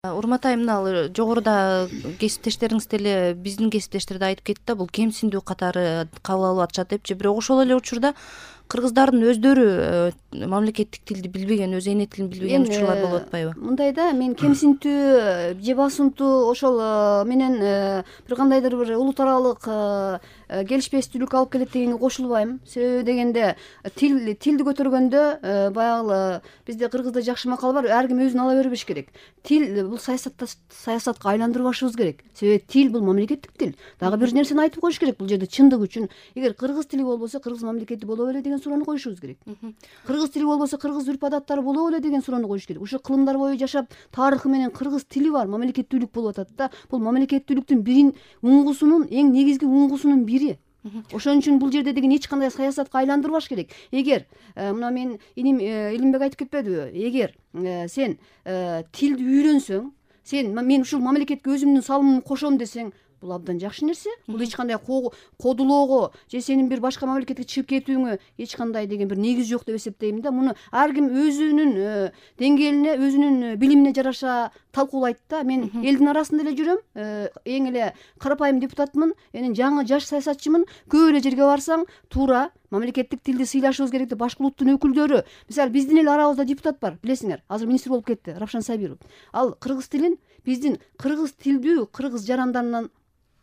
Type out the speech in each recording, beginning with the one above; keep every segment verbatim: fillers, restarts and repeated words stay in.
Урмат айым, мына жогоруда кесиптештериңиз деле биздин кесиптештер да айтып кетти да, бул кемсиндүү катары кабыл алып атышат депчи. Бирок ошол эле учурда кыргыздардын өздөрү мамлекеттик тилди билбеген, өз эне тилин билбеген учурлар болуп атпайбы? Мындай да, мен кемсинтүү же басымтуу ошол менен бир кандайдыр бир улут аралык келишпестүүлүк алып келет дегенге кошулбайм. Себеби дегенде тил тилди көтөргөндө баягы бизде кыргызда жакшы макал бар, ар ким өзүн ала бербеш керек. Тил бул саясатта саясатка айландырбашыбыз керек. Себеби тил бул мамлекеттик тил. Дагы бир нерсени айтып коюш керек бул жерде чындык үчүн. Эгер кыргыз тили болбосо, кыргыз мамлекети боло беле деген суроону коюшубуз керек. Кыргыз тили болбосо, кыргыз үрп адаттары боло беле деген суроону коюш керек. Ушу кылымдар бою жашап, тарыхы менен кыргыз тили бар мамлекеттүүлүк болуп атат да. Бул мамлекеттүүлүктүн бирин уңгусунун, эң негизги уңгусунун бири. Ошон үчүн бул жерде деген эч кандай саясатка айландырбаш керек. Эгер мына мен иним Илимбек айтып кетпедиби? Эгер сен тилди үйрөнсөң, сен мен ушул мамлекетке өзүмдүн салымымды кошом десең, бул абдан жакшы нерсе. Бул эч кандай кодулоого же сенин бир башка мамлекетке чыгып кетүүңө эч кандай деген бир негиз жок деп эсептейм да. Муну ар ким өзүнүн деңгээлине, өзүнүн билимине жараша талкуулайт да. Мен элдин арасында эле жүрөм, эң эле карапайым депутатмын, эми жаңы жаш саясатчымын. Көп эле жерге барсаң, туура мамлекеттик тилди сыйлашыбыз керек деп башка улуттун өкүлдөрү, мисалы биздин эле арабызда депутат бар, билесиңер, азыр министр болуп кетти, Рапшан Сабиров. Ал кыргыз тилин биздин кыргыз тилдүү кыргыз жарандарынан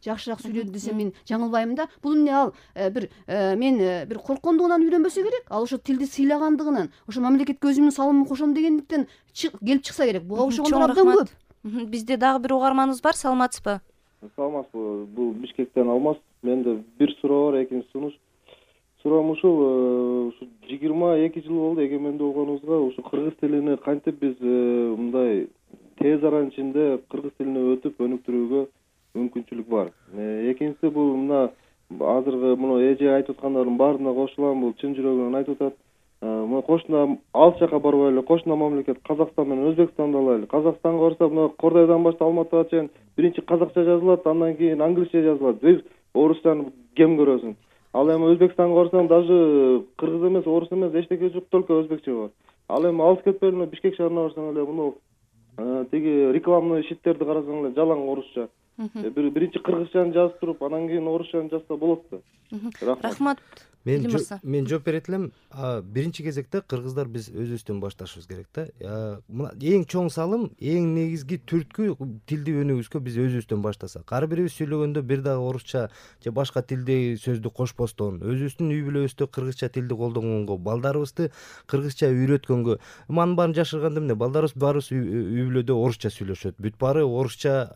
жакшыраак сүйлөдү десем мен жаңылбайм да. Бул эмне ал бир мен бир корккондугунан үйрөнбөсө керек. Ал ошо тилди сыйлагандыгынан, ошо мамлекетке өзүмдүн салымымды кошом дегендиктен келип чыкса керек. Буга окшогондор абдан көп. Бизде дагы бир угарманыбыз бар, саламатсызбы? Саламатсызбы. Бул Бишкектен Алмаз. Менде бир суроо бар, экинчи сунуш. Суроом ушул, ушу жыйырма эки жыл болду эгемендүү болгонубузга, ушу кыргыз тилини кантип биз мындай тез аранын ичинде кыргыз тилине өтүп өнүктүрүүгө мүмкүнчүлүк бар. Экинчиси бул мына азыркы муну эже айтып аткандардын баарына кошулам, бул чын жүрөгүнөн айтып атат. Мына кошуна алыс жака барбайлы, кошуна мамлекет Казакстан менен Өзбекстанды алайлы. Казакстанга барса, мына Кордойдон баштап Алматыга чейин биринчи казакча жазылат, андан кийин англисче жазылат. Бир орусчаны кем көрөсүң. Ал эми Өзбекстанга барсаң, даже кыргыз эмес, орус эмес, эчтеке жок, только өзбекче бар. Ал эми алыс кетпейли, Бишкек шаарына барсаң эле муну тиги рекламный щиттерди карасаң эле жалаң орусча. Бир биринчи кыргызчаны жазып туруп, анан кийин орусчаны жазса болот да. Рахмат. Мен мен жооп берет элем. Биринчи кезекте кыргыздар биз өзүбүздөн башташыбыз керек да. Мына эң чоң салым, эң негизги түрткү тилди өнүгүүбүзгө биз өзүбүздөн баштасак. Ар бирибиз сүйлөгөндө бир дагы орусча же башка тилди сөздү кошпостон, өзүбүздүн үй бүлөбүздө кыргызча тилди колдонгонго, балдарыбызды кыргызча үйрөткөнгө. Манын баарын жашырганда эмне? Балдарыбыз баарыбыз үй бүлөдө орусча сүйлөшөт. Бүт баары орусча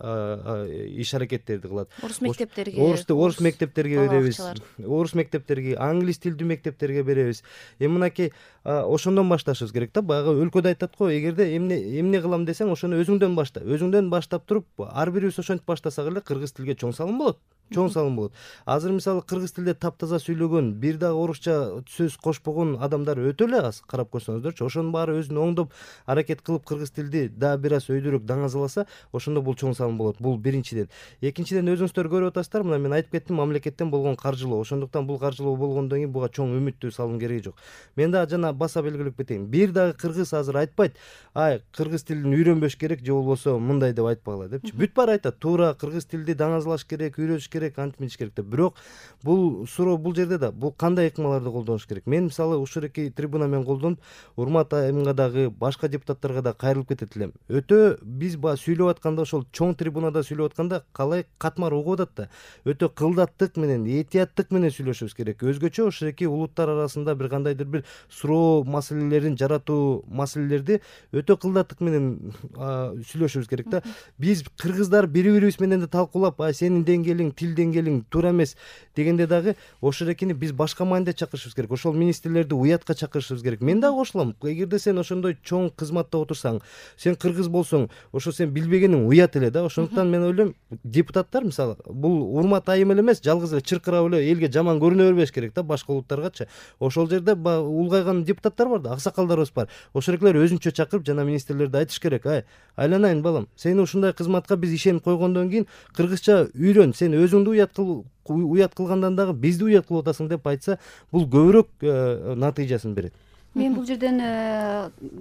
иш аракеттерди кылат. Орус мектептерге, орус мектептерге беребиз. Орус мектептерге, англис тилдүү мектептерге беребиз. Эми мынакей ошондон башташыбыз керек да. Баягы өлкөдө айтат го, эгерде эмне эмне кылам десең, ошону өзүңдөн башта. Өзүңдөн баштап туруп, ар бирибиз ошентип баштасак эле кыргыз тилге чоң салым болот. Чоң салым болот. Азыр мисалы кыргыз тилде таптаза сүйлөгөн, бир дагы орусча сөз кошпогон адамдар өтө эле аз, карап көрсөңүздөрчү. Ошонун баары өзүн оңдоп, аракет кылып кыргыз тилди дагы бир аз өйдөрөөк даңазаласа, ошондо бул чоң салым болот. Бул биринчиден. Экинчиден, өзүңүздөр көрүп атасыздар, мына мен айтып кеттим, мамлекеттен болгон каржылоо. Ошондуктан бул каржылоо болгондон кийин буга чоң үмүттүү салым кереги жок. Мен дагы жана баса белгилеп кетейин. Бир дагы кыргыз азыр айтпайт, ай, кыргыз тилин үйрөнбөш керек же болбосо мындай деп айтпагыла депчи. Бүт баары айтат, туура кыргыз тилди даңазалаш керек, үйрөтүш керек, антип керек деп. Бирок бул суроо бул жерде да, бул кандай ыкмаларды колдонуш керек? Мен мисалы ушуреки трибуна менен колдонуп, Урмат айымга дагы, башка депутаттарга да кайрылып кетет элем. Өтө биз ба сүйлөп атканда, ошол чоң трибунада сүйлөп атканда калай катмар угуп атат да. Өтө кылдаттык менен, этияттык менен сүйлөшүбүз керек. Өзгөчө ушуреки улуттар арасында бир кандайдыр бир суроо маселелерин жаратуу маселелерди өтө кылдаттык менен сүйлөшүбүз керек да. Биз кыргыздар бири-бирибиз менен да талкуулап, ай, сенин деңгээлиң, тил деңгээлиң туура эмес дегенде дагы ошорекини биз башка мааниде чакырышыбыз керек. Ошол министрлерди уятка чакырышыбыз керек. Мен дагы кошулам. Эгерде сен ошондой чоң кызматта отурсаң, сен кыргыз болсоң, ошо сен билбегениң уят эле да. Ошондуктан мен ойлойм, депутаттар мисалы бул Урмат айым эле эмес, жалгыз эле чыркырап эле элге жаман көрүнө бербеш керек да, башка улуттаргачы. Ошол жерде улгайган депутаттар бар да, аксакалдарыбыз бар. Ошолеклер өзүнчө чакырып жана министрлерди айтыш керек, ай, айланайын балам, сени ушундай кызматка биз ишенип койгондон кийин кыргызча үйрөн, сен өзүңдү уят кыл, уят кылгандан дагы бизди уят кылып атасың деп айтса, бул көбүрөөк натыйжасын берет. мен бул жерден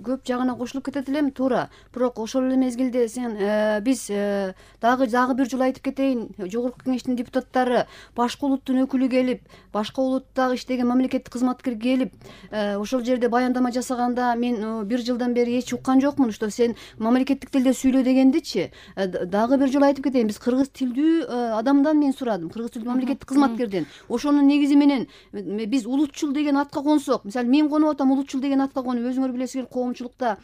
көп жагына кошулуп кетет элем, туура. Бирок ошол эле мезгилде сен биз дагы дагы бир жолу айтып кетейин, жогорку кеңештин депутаттары, башка улуттун өкүлү келип, башка улуттагы иштеген мамлекеттик кызматкер келип, ошол жерде баяндама жасаганда мен бир жылдан бери эч уккан жокмун, что сен мамлекеттик тилде сүйлө дегендичи. Дагы бир жолу айтып кетейин, биз кыргыз тилдүү адамдан мен сурадым, кыргыз тилдүү мамлекеттик кызматкерден. Ошонун негизи менен биз улутчул деген атка консок, мисалы мен конуп атам улутчул деген атка конуп, өзүңөр билесиңер коомчулукта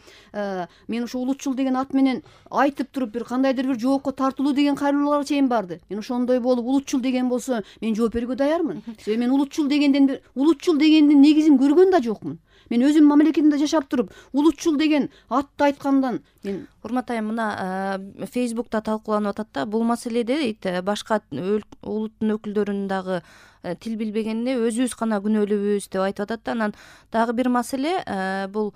мен ошо улутчул деген ат менен айтып туруп бир кандайдыр бир жоопко тартылуу деген кайрылуулар чейин барды. Мен ошондой болуп улутчул деген болсо мен жооп берүүгө даярмын. Себеби мен улутчул дегенден улутчул дегендин негизин көргөн да жокмун. Мен өзүм мамлекетимде жашап туруп улутчул деген атты айткандан мен урмат айым, мына Фейсбукта талкууланып атат да, бул маселеде башка улуттун өкүлдөрүнүн дагы тил билбегенине өзүбүз гана күнөөлүүбүз деп айтып атат да. Анан дагы бир маселе, бул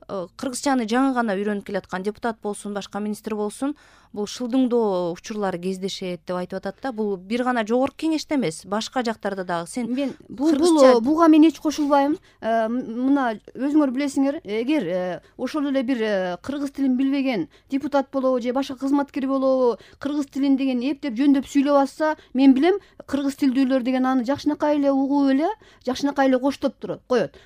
кыргызчаны жаңы гана үйрөнүп келаткан депутат болсун, башка министр болсун, бул шылдыңдоо учурлары кездешет деп айтып атат да. Бул бир гана жогорку кеңеште эмес, башка жактарда дагы. Сен мен бул буга мен эч кошулбайм. Мына өзүңөр билесиңер, эгер ошол эле бир кыргыз тилин билбеген депутат болобу же башка кызматкер болобу, кыргыз тилин деген эптеп жөндөп сүйлөп атса, мен билем кыргыз тилдүүлөр деген аны жакшынакай эле угуп эле, жакшынакай эле коштоп турат, коет.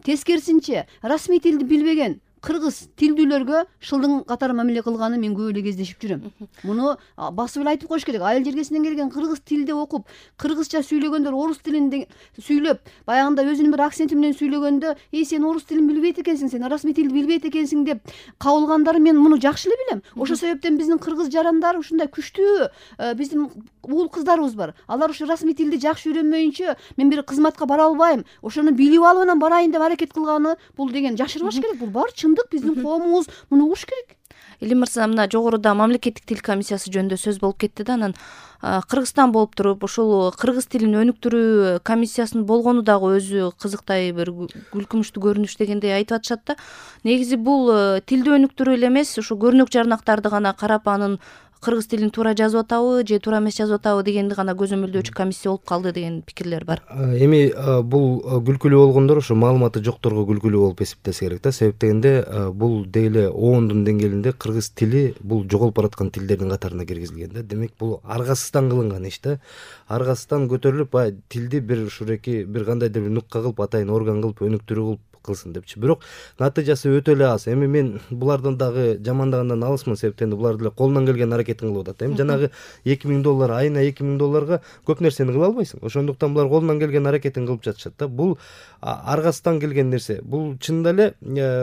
Тескерисинче, расмий тилди билбеген кыргыз тилдүүлөргө шылдың катары мамиле кылганы мен көп эле кездешип жүрөм. Муну басып эле айтып коюш керек. Айыл жергесинен келген кыргыз тилде окуп, кыргызча сүйлөгөндөр орус тилинде сүйлөп, баягында өзүнүн бир акценти менен сүйлөгөндө, "Эй, сен орус тилин билбейт экенсиң, сен расмий тилди билбейт экенсиң" деп кабылгандары мен муну жакшы эле билем. Ошол себептен биздин кыргыз жарандар ушундай күчтүү биздин уул кыздарыбыз бар. Алар ушу расмий тилди жакшы үйрөнмөйүнчө мен бир кызматка бара албайм, ошону билип алып анан барайын деп аракет кылганы бул деген жашырбаш керек. Бул баары чындык, биздин коомубуз муну угуш керек. Илим мырза, мына жогоруда мамлекеттик тил комиссиясы жөнүндө сөз болуп кетти да. Анан Кыргызстан болуп туруп ушул кыргыз тилин өнүктүрүү комиссиясынын болгону дагы өзү кызыктай бир күлкүмүштүү көрүнүш дегендей айтып атышат да. Негизи бул тилди өнүктүрүү эле эмес, ушу көрнөк жарнактарды гана карап анын кыргыз тилин туура жазып атабы же туура эмес жазып атабы дегенди гана көзөмөлдөөчү комиссия болуп калды деген пикирлер бар. Эми бул күлкүлүү болгондор ошо маалыматы жокторго күлкүлүү болуп эсептесе керек да. Себеп дегенде бул дейле оондун деңгээлинде кыргыз тили бул жоголуп бараткан тилдердин катарына киргизилген да. Демек бул аргасыздан кылынган иш да. Аргасыздан көтөрүлүп баягы тилди бир ушуреки бир кандайдыр бир нукка кылып, атайын орган кылып, өнүктүрүү кылып кылсын депчи. Бирок натыйжасы өтө эле аз. Эми мен булардан дагы жамандагандан алысмын, себептен булар деле колунан келген аракетин кылып атат. Эми жанагы эки миң доллар, айына эки миң долларга көп нерсени кыла албайсың. Ошондуктан булар колунан келген аракетин кылып жатышат да. Бул аргасыздан келген нерсе. Бул чынында эле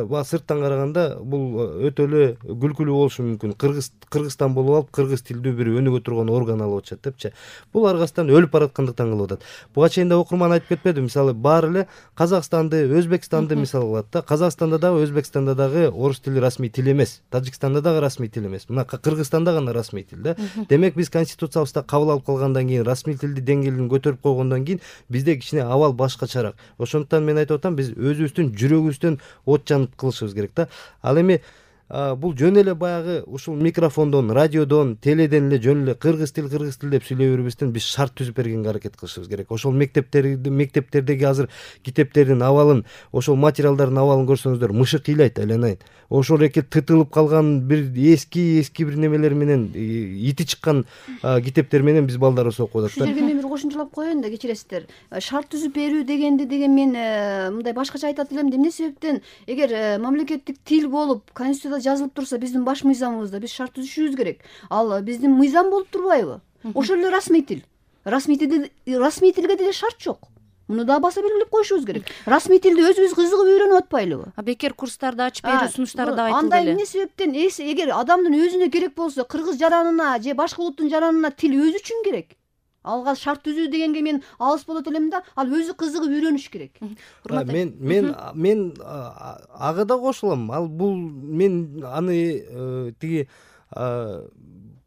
баягы сырттан караганда бул өтө эле күлкүлүү болушу мүмкүн. Кыргыз Кыргызстан болуп алып, кыргыз тилдүү бир өнүгө турган орган алып атышат депчи. Бул аргасыздан өлүп бараткандыктан кылып атат. Буга чейин да окурман айтып кетпеди. Мисалы баары эле Казакстанды, Өзбекстанды мисал кылат да. Казакстанда дагы, Өзбекстанда дагы орус тили расмий тил эмес. Тажикстанда дагы расмий тил эмес. Мына Кыргызстанда гана расмий тил да. Демек биз конституциябызда кабыл алып калгандан кийин, расмий тилди деңгээлин көтөрүп койгондон кийин бизде кичине абал башкачараак. Ошондуктан мен айтып атам, биз өзүбүздүн жүрөгүбүздөн от жанып кылышыбыз керек да. Ал эми бул жөн эле баягы ушул микрофондон, радиодон, теледен эле жөн эле кыргыз тил, кыргыз тил деп сүйлөй бербестен биз шарт түзүп бергенге аракет кылышыбыз керек. Ошол мектептерди, мектептердеги азыр китептердин абалын, ошол материалдардын абалын көрсөңүздөр, мышык ыйлайт айланайын. Ошол эки тытылып калган бир эски эски бир немелер менен, ити чыккан китептер менен биз балдарыбызды окуп атат да. Ушул жерге мен бир кошумчалап коеюн да, кечиресиздер. Шарт түзүп берүү дегенди деген мен мындай башкача айтат элем. Эмне себептен эгер мамлекеттик тил болуп, конституцияда жазылып турса, биздин баш мыйзамыбызда биз шарт түзүшүбүз керек. Ал биздин мыйзам болуп турбайбы? Ошол эле расмий тил. Расмий тилде расмий тилге деле шарт жок. Муну да баса белгилеп коюшубуз керек. Расмий тилди өзүбүз кызыгып үйрөнүп атпайлыбы? А бекер курстарды ачып берүү сунуштары да айтылды эле. Андай эмне себептен эгер адамдын өзүнө керек болсо, кыргыз жаранына же башка улуттун жаранына тил өзү үчүн керек. Алга шарт түзүү дегенге мен алыс болот элем да, ал өзү кызыгып үйрөнүш керек. Мен мен мен ага да кошулам. Ал бул мен аны тиги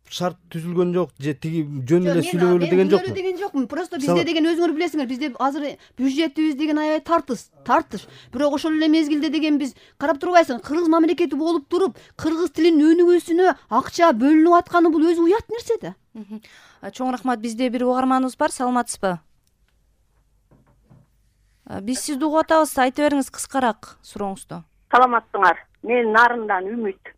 шарт түзүлгөн жок же тиги жөн эле сүйлөгөлү деген жокмун. Мен деген жокмун. Просто бизде деген өзүңөр билесиңер, бизде азыр бюджетибиз деген аябай тартыс, тартыш. Бирок ошол эле мезгилде деген биз карап турбайсың, кыргыз мамлекети болуп туруп, кыргыз тилин өнүгүүсүнө акча бөлүнүп атканы бул өзү уят нерсе да. Чоң рахмат. Бизде бир угарманыбыз бар, саламатсызбы? Биз сизди угуп атабыз, айта бериңиз кыскараак сурооңузду. Саламатсыңар. Мен Нарындан Үмүт.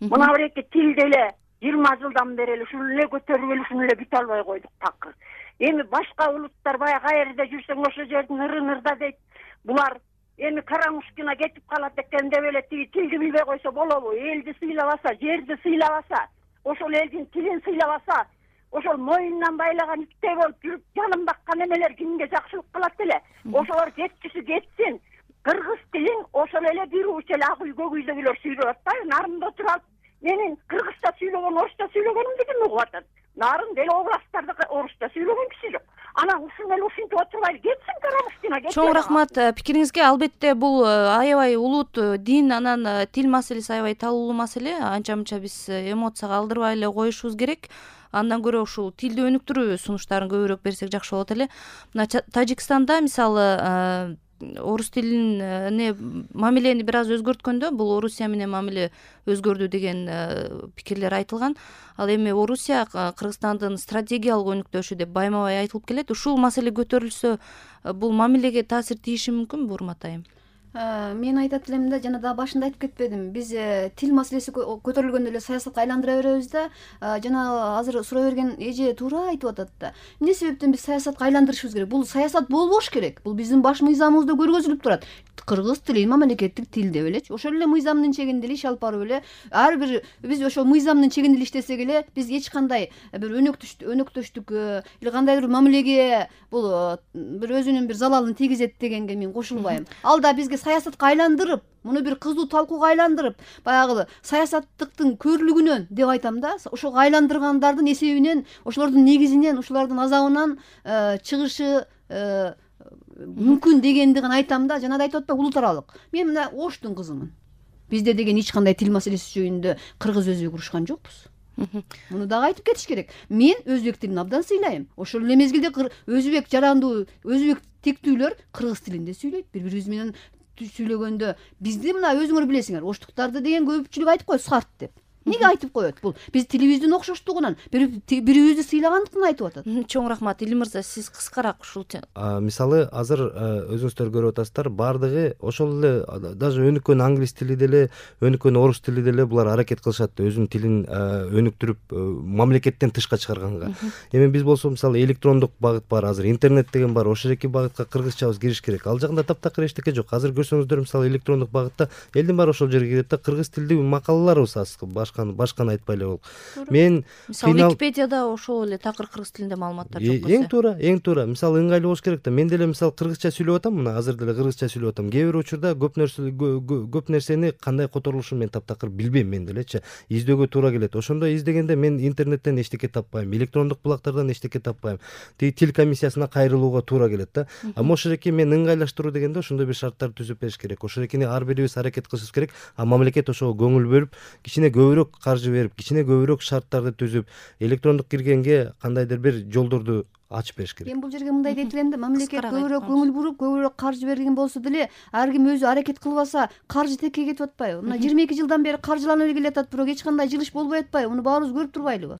Мына бир эки тил деле жыйырма жылдан бери эле ушул эле көтөрүп эле ушуну эле бүтө албай койдук такыр. Эми башка улуттар баягы каерде жүрсөң ошол жердин ыры-нырда дейт. Булар эми карамушкина кетип калат экен деп эле тиги тилди билбей койсо болобу? Элди сыйлабаса, жерди сыйлабаса, ошол элдин тилин сыйлабаса, ошол моюндан байлаган иттей болуп жүрүп жанын баккан эмелер кимге жакшылык кылат эле? Ошолор кеткиси кетсин. Кыргыз тилин ошол эле бир уч эле ак үй көк үйдөгүлөр сүйлөп атпайбы? Нарында турат. Менин кыргызча сүйлөгөн, орусча сүйлөгөнүмдү ким угуп атат? Нарын деле областтарда орусча сүйлөгөн киши жок. Анан ушуну эле ушинтип отурбайлы, кетсин карамушкина кетсин. Чоң рахмат пикириңизге. Албетте бул аябай улут дин, анан тил маселеси аябай талуулуу маселе. Анча-мынча биз эмоцияга алдырбай эле коюшубуз керек. Андан көрө ушул тилди өнүктүрүү сунуштарын көбүрөөк берсек жакшы болот эле. Мына Тажикстанда мисалы орус тилине мамилени бир аз өзгөрткөндө, бул Орусия менен мамиле өзгөрдү деген пикирлер айтылган. Ал эми Орусия Кыргызстандын стратегиялык өнүктөшү деп байма-бай айтылып келет. Ушул маселе көтөрүлсө, бул мамилеге таасир тийиши мүмкүнбү, Урмат айым? Мен айтат элем да, жана да башында айтып кетпедим. Биз тил маселеси көтөрүлгөндө эле саясатка айландыра беребиз да. Жана азыр суроо берген эже туура айтып атат да. Эмне себептен биз саясатка айландырышыбыз керек? Бул саясат болбош керек. Бул биздин баш мыйзамыбызда көргөзүлүп турат. Кыргыз тили мамлекеттик тил деп элечи. Ошол эле мыйзамдын чегинде эле иш алып барып эле ар бир биз ошол мыйзамдын чегинде эле иштесек эле биз эч кандай бир өнөктөштүк или кандайдыр мамилеге бул бир өзүнүн бир залалын тийгизет дегенге мен кошулбайм. Ал да бизге саясатка айландырып, муну бир кызуу талкууга айландырып, баягы саясаттыктын көрлүгүнөн деп айтам да, ошого айландыргандардын эсебинен, ошолордун негизинен, ошолордун азабынан чыгышы мүмкүн дегенди гана айтам да. Жана да айтып атпайбы, улут аралык. Мен мына Оштун кызымын. Бизде деген эч кандай тил маселеси жөнүндө кыргыз өзбек урушкан жокпуз. Муну дагы айтып кетиш керек. Мен өзбек тилин абдан сыйлайм. Ошол эле мезгилде өзбек жарандуу, өзбек тектүүлөр кыргыз тилинде сүйлөйт. Бири-бирибиз менен сүйлөгөндө бизди мына өзүңөр билесиңер, оштуктарды деген көпчүлүк айтып коет сарт деп. Неге айтып коет? Бул биз тилибиздин окшоштугунан, бирибизди сыйлагандыктан айтып атат. Чоң рахмат. Илим мырза, сиз кыскараак ушул мисалы азыр өзүңүздөр көрүп атасыздар, баардыгы ошол эле даже өнүккөн англис тили деле, өнүккөн орус тили деле булар аракет кылышат өзүнүн тилин өнүктүрүп мамлекеттен тышка чыгарганга. Эми биз болсо мисалы электрондук багыт бар, азыр интернет деген бар, ошол эки багытка кыргызчабыз кириш керек. Ал жагында таптакыр эчтеке жок. Азыр көрсөңүздөр мисалы электрондук багытта элдин баары ошол жерге кирет да, кыргыз тилдүү макалаларыбыз аз, башканы айтпай эле болуп. Мен мисалы Википедияда ошол эле такыр кыргыз тилинде маалыматтар жок болсо. Эң туура, эң туура. Мисалы ыңгайлуу болуш керек да. Мен деле мисалы кыргызча сүйлөп атам, мына азыр деле кыргызча сүйлөп атам. Кээ бир учурда көп нерсе көп нерсени кандай которулушун мен таптакыр билбейм мен делечи. Издөөгө туура келет. Ошондо издегенде мен интернеттен эчтеке таппайм, электрондук булактардан эчтеке таппайм. Тиги тил комиссиясына кайрылууга туура келет да. А ошол эки мен ыңгайлаштыруу дегенде ошондой бир шарттар түзүп бериш керек. Ошол экини ар бирибиз аракет кылышыбыз керек. А мамлекет ошого көңүл бөлүп, кичине көбүрөөк каржы берип, кичине көбүрөөк шарттарды түзүп, электрондук киргенге кандайдыр бир жолдорду ачып бериш керек. Мен бул жерге мындай дейт элем да, мамлекет көбүрөөк көңүл буруп, көбүрөөк каржы берген болсо деле, ар ким өзү аракет кылбаса, каржы текке кетип атпайбы? Мына жыйырма эки жылдан бери каржыланып эле келатат, бирок эч кандай жылыш болбой атпайбы? Муну баарыбыз көрүп турбайлыбы?